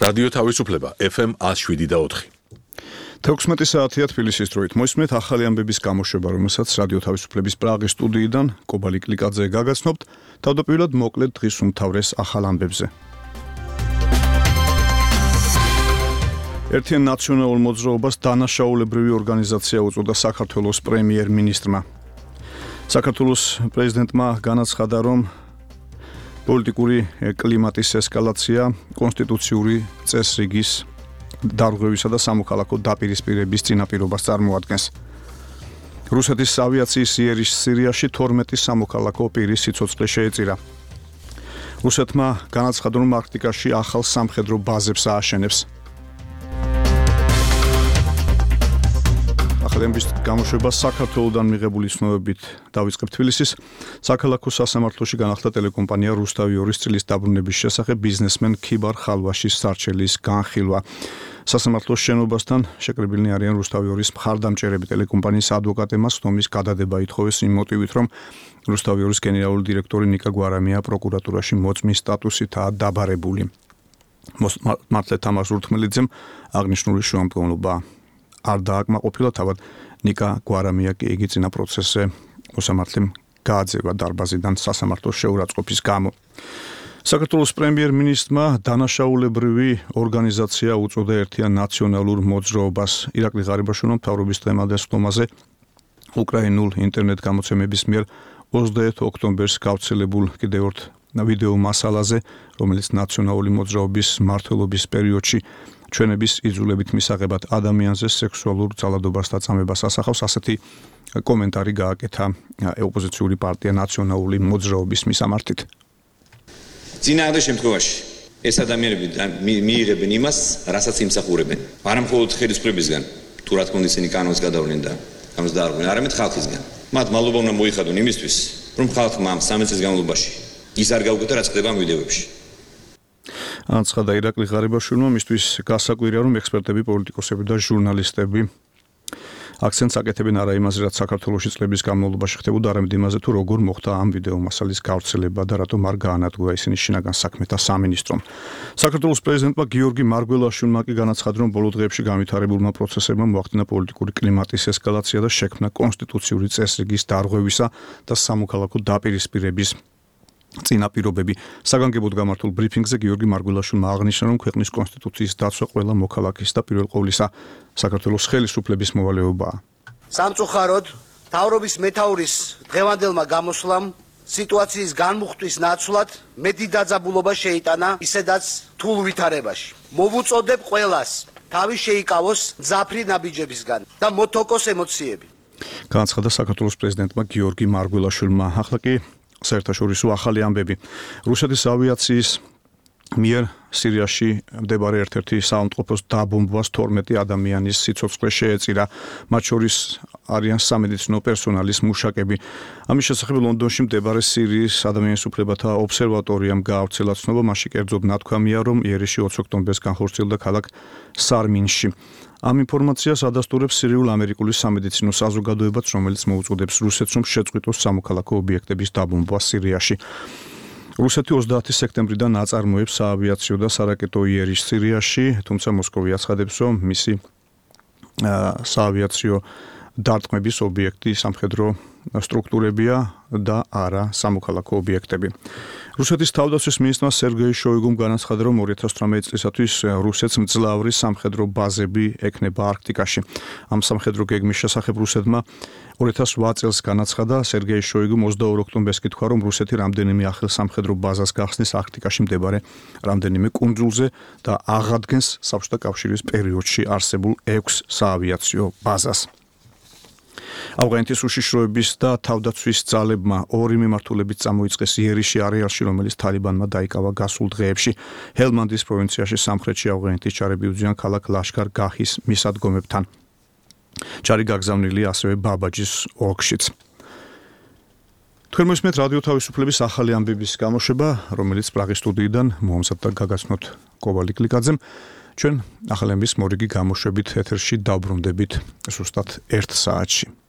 რადიო თავისუფლება FM 107.4. 16 საათია თბილისის დროით. მოისმენთ ახალი ამბების გამოშვება, რომელსაც რადიო თავისუფლების პრაღის სტუდიიდან კობალი კლიკაძე გაგაცნობთ. თავდაპირველად მოკლედ დღის უმთავრეს ახალ ამბებზე. ერთიან ნაციონალურ მოძრაობას დანაშაულებრივი ორგანიზაცია უწოდა საქართველოს პრემიერ-მინისტრმა. საქართველოს პრეზიდენტმა განაცხადა, რომ პოლიტიკური კლიმატის ესკალაცია კონსტიტუციური წესრიგის დარღვევისა და სამოქალაქო დაპირისპირების წინაპირობას წარმოადგენს. რუსეთის ავიაციის იერიშ სირიაში 12 სამოქალაქო პირის სიცოცხლე შეეწირა. რუსეთმა განაცხადა, რომ არქტიკაში ახალ სამხედრო ბაზებს ააშენებს. ახალების გამოშვება საქართველოდან მიღებული ცნობებით დავიწყებ. თბილისის საქალაქო სასამართლოში განახლდა ტელეკომპანია რუსთავი 2-ის წილის დაბრუნების შესახებ ბიზნესმენ ქიბარ ხალვაშის სარჩელის განხილვა. სასამართლოს შენობასთან შეკრებილნი არიან რუსთავი 2-ის მხარდამჭერები. ტელეკომპანიის ადვოკატებმა სხდომის გადადება ითხოვეს იმ მოტივით, რომ რუსთავი 2-ის გენერალური დირექტორი ნიკა გვარამია პროკურატურაში მოწმის სტატუსითაა დაბარებული. მართლე თამარ ზურთმელიძემ აღნიშნული შუამდგომლობა არ დააკმაყოფილა, თავად ნიკა გვარამია კი იგი წინა პროცესზე მოსამართლემ გააძევა დარბაზიდან სასამართლოს შეურაცხყოფის გამო. საქართველოს პრემიერ-მინისტრმა დანაშაულებრივი ორგანიზაცია უწოდა ერთიან ნაციონალურ მოძრაობას. ირაკლი ღარიბაშვილმა მთავრობის დღემდე სხდომაზე უკრაინულ ინტერნეტ გამოცემების მიერ 21 ოქტომბერს გავრცელებულ კიდევ ერთ ვიდეო მასალაზე, რომელიც ნაციონალური მოძრაობის მმართველობის პერიოდში ჩვენების იძულებით მისაღებად ადამიანზე სექსუალურ ძალადობას და წამებას ასახავს. ასეთი კომენტარი გააკეთა ოპოზიციური პარტია ნაციონალური მოძრაობის მისამართით. წინააღმდეგ შემთხვევაში ეს ადამიანები მიიღებენ იმას, რასაც იმსახურებენ. არა მხოლოდ ხელისუფლებისგან, თუ რა თქმა უნდა ისინი კანონს გადავლენ და ამას დაარღვევენ, არამედ ხალხისგან. მათ მადლობა უნდა მოიხადონ იმისთვის, რომ ხალხმა ამ 13 წლის განმავლობაში ის არ გაუკეთა, რაც ხდება ამ ვიდეოებში. აცხადა ირაკლი ღარიბაშვილმა, მისთვის გასაკვირია, რომ ექსპერტები, პოლიტიკოსები და ჟურნალისტები აქცენტს აკეთებენ არა იმაზე, რაც საქართველოში წლების განმავლობაში ხდებოდა, არამედ იმაზე, თუ როგორ მოხდა ამ ვიდეო მასალის გავრცელება და რატომ არ გაანადგურა ისინი შინაგან საქმეთა სამინისტრომ. საქართველოს პრეზიდენტმა გიორგი მარგველაშვილმა კი განაცხადა, რომ ბოლო დღეებში განვითარებულმა პროცესებმა მოახდინა პოლიტიკური კლიმატის ესკალაცია და შექმნა კონსტიტუციური წესრიგის დარღვევისა და სამოქალაქო დაპირისპირების წინაპირობები. საგანგებოდ გამართულ ბრიფინგზე გიორგი მარგველაშვილმა აღნიშნა, რომ ქვეყნის კონსტიტუციის დაცვა ყველა მოქალაქის და პირველ ყოვლისა საქართველოს ხელისუფლების მოვალეობაა. სამწუხაროდ, მთავრობის მეთაურის დღევანდელმა გამოსვლამ სიტუაციის განმუხტვის ნაცვლად მეტი დაძაბულობა შეიტანა ისედაც რთულ ვითარებაში. მოვუწოდებ ყველას თავი შეიკავოს მძაფრი ნაბიჯებისგან და მოთოკოს ემოციები. განაცხადა საქართველოს პრეზიდენტმა გიორგი მარგველაშვილმა. ახლა კი საერთაშორისო ახალი ამბები. რუსეთის ავიაციის მიერ სირიაში მდებარე ერთ-ერთი საავადმყოფოს დაბომბვას 12 ადამიანის სიცოცხლე შეეწირა. მათ შორის არიან სამედიცინო პერსონალის მუშაკები. ამის შესახებ ლონდონში მდებარე სირიის ადამიანის უფლებათა ობსერვატორიამ გაავრცელა ცნობა. მასში კერძოდ ნათქვამია, რომ იერიში 20 ოქტომბერს განხორციელდა ქალაქ სარმინში. ამ ინფორმაციას ადასტურებს სირიულ-ამერიკული სამედიცინო საზოგადოებაც, რომელიც მოუწოდებს რუსეთს, რომ შეწყვიტოს სამოქალაქო ობიექტების დაბომბვა სირიაში. რუსეთი 30 სექტემბრიდან აწარმოებს საავიაციო და სარაკეტო იერიშს სირიაში, თუმცა მოსკოვი აცხადებს, რომ მისი საავიაციო დარტყმების ობიექტი სამხედრო სტრუქტურებია და არა სამოქალაქო ობიექტები. რუსეთის თავდაცვის მინისტრმა სერგეი შოიგუმ განაცხადა, რომ 2018 წლისათვის რუსეთს მძლავრი სამხედრო ბაზები ექნება არქტიკაში. ამ სამხედრო გეგმის შესახებ რუსეთმა 2008 წელს განაცხადა. სერგეი შოიგუმ 22 ოქტომბერს კითხვა, რომ რუსეთი რამდენიმე ახალ სამხედრო ბაზას გახსნის არქტიკაში მდებარე რამდენიმე კუნძულზე და აღადგენს საბჭოთა კავშირის პერიოდში არსებულ 6 საავიაციო ბაზას. ავღანეთის უშიშროების და თავდაცვის ძალებმა 2 მიმართულებით წამოიწყეს იერიში არეალში, რომელიც თალიბანმა დაიკავა გასულ დღეებში. ჰელმანდის პროვინციაში სამხრეთში ავღანეთის ჯარები უძღვიან ქალაქ ლაშქარ-გაჰის მისადგომებთან. ჯარი გაგზავნილია ასევე ბაბაჯის ოლქშიც. თქვენ მოსმენთ რადიო თავისუფლების ახალი ამბების გამოშვება, რომელიც პრაღის სტუდიიდან მოამზადდა გაგაცნოთ კობალი კლიკაძემ. ჩვენ ახალი ამბების მორიგი გამოშვებით ეთერში დავბრუნდებით ზუსტად 1 საათში.